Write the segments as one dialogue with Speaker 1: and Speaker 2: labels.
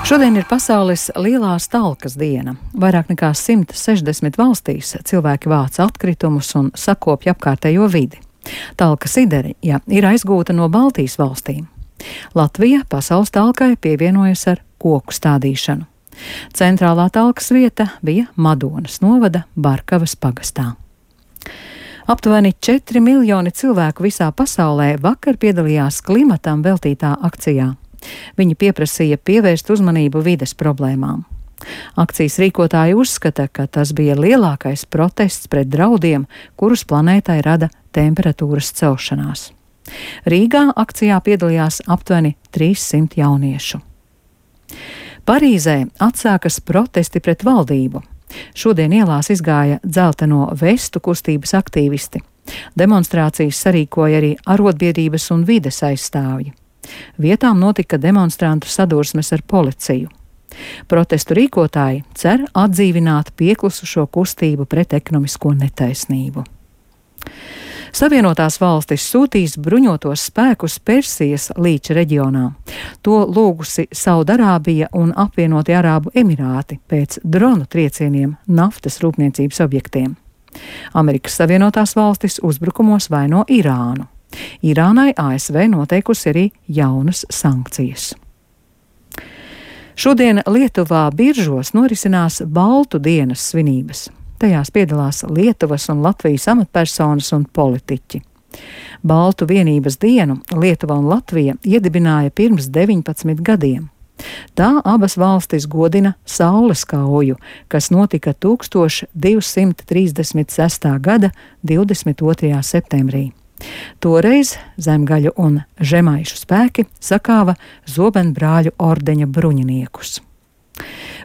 Speaker 1: Šodien ir pasaules lielās talkas diena. Vairāk nekā 160 valstīs cilvēki vāc atkritumus un sakopja apkārtējo vidi. Talkas ideja ir aizgūta no Baltijas valstīm. Latvija pasaules talkai pievienojas ar koku stādīšanu. Centrālā talkas vieta bija Madonas novada Barkavas pagastā. Aptuveni 4 miljoni cilvēku visā pasaulē vakar piedalījās klimatam veltītā akcijā. Viņi pieprasīja pievērst uzmanību vides problēmām. Akcijas rīkotāji uzskata, ka tas bija lielākais protests pret draudiem, kurus planētai rada temperatūras celšanās. Rīgā akcijā piedalījās aptuveni 300 jauniešu. Parīzē atsākas protesti pret valdību. Šodien ielās izgāja dzelteno vestu kustības aktīvisti. Demonstrācijas sarīkoja arī arotbiedrības un vides aizstāvji. Vietām notika demonstrantu sadursmes ar policiju. Protestu rīkotāji cer atdzīvināt pieklusušo kustību pret ekonomisko netaisnību. Savienotās valstis sūtīs bruņotos spēkus Persijas līča reģionā. To lūgusi Saudarābija un apvienotie Arābu Emirāti pēc dronu triecieniem naftas rūpniecības objektiem. Amerikas Savienotās valstis uzbrukumos vaino Irānu. Irānai ASV noteikusi arī jaunas sankcijas. Šodien Lietuvā Biržos norisinās Baltu dienas svinības. Tajās piedalās Lietuvas un Latvijas amatpersonas un politiķi. Baltu vienības dienu Lietuva un Latvija iedibināja pirms 19 gadiem. Tā abas valstis godina Saules kauju, kas notika 1236. gada 22. septembrī. Toreiz zemgaļu un žemaišu spēki sakāva Zobenbrāļu ordeņa bruņiniekus.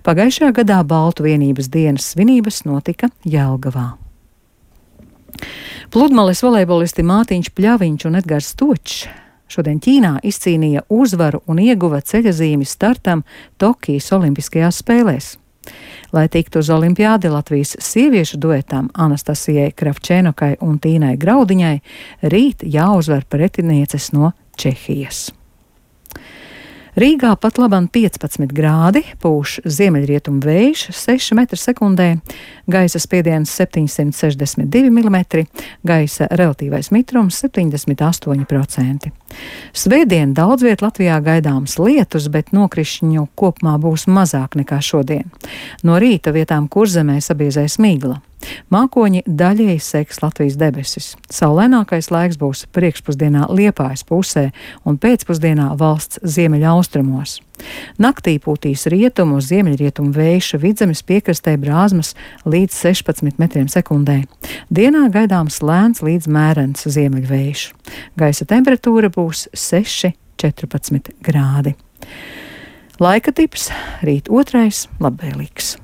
Speaker 1: Pagājušajā gadā Baltu vienības dienas svinības notika Jelgavā. Pludmales volejbolisti Mātiņš Pļaviņš un Edgars Točs šodien Ķīnā izcīnīja uzvaru un ieguva ceļazīmi startam Tokijas olimpiskajās spēlēs. Lai tiktu uz olimpiādi, Latvijas sieviešu duetam Anastasijai Kravčēnokai un Tīnai Graudiņai rīt jāuzvar pretinieces no Čehijas. Rīgā pat labam 15 grādi, pūš ziemeļrietumu vējš 6 m/sekundē, gaisa spiediens 762 mm, gaisa relatīvais mitrums 78%. Svētdien daudz viet Latvijā gaidāms lietus, bet nokrišņu kopumā būs mazāk nekā šodien. No rīta vietām Kurzemē sabiezēs migla. Mākoņi daļēji segs Latvijas debesis. Saulainākais laiks būs priekšpusdienā Liepājas pusē un pēcpusdienā valsts ziemeļaustrumos. Naktī pūtīs rietumu uz ziemeļrietumu vējš Vidzemes piekrastē Brāzmas līdz 16 m/sekundē. Dienā gaidāms lēns līdz mērens ziemeļvējš. Gaisa temperatūra būs 6–14 grādi. Laika tips rīt 2. labvēlīgs.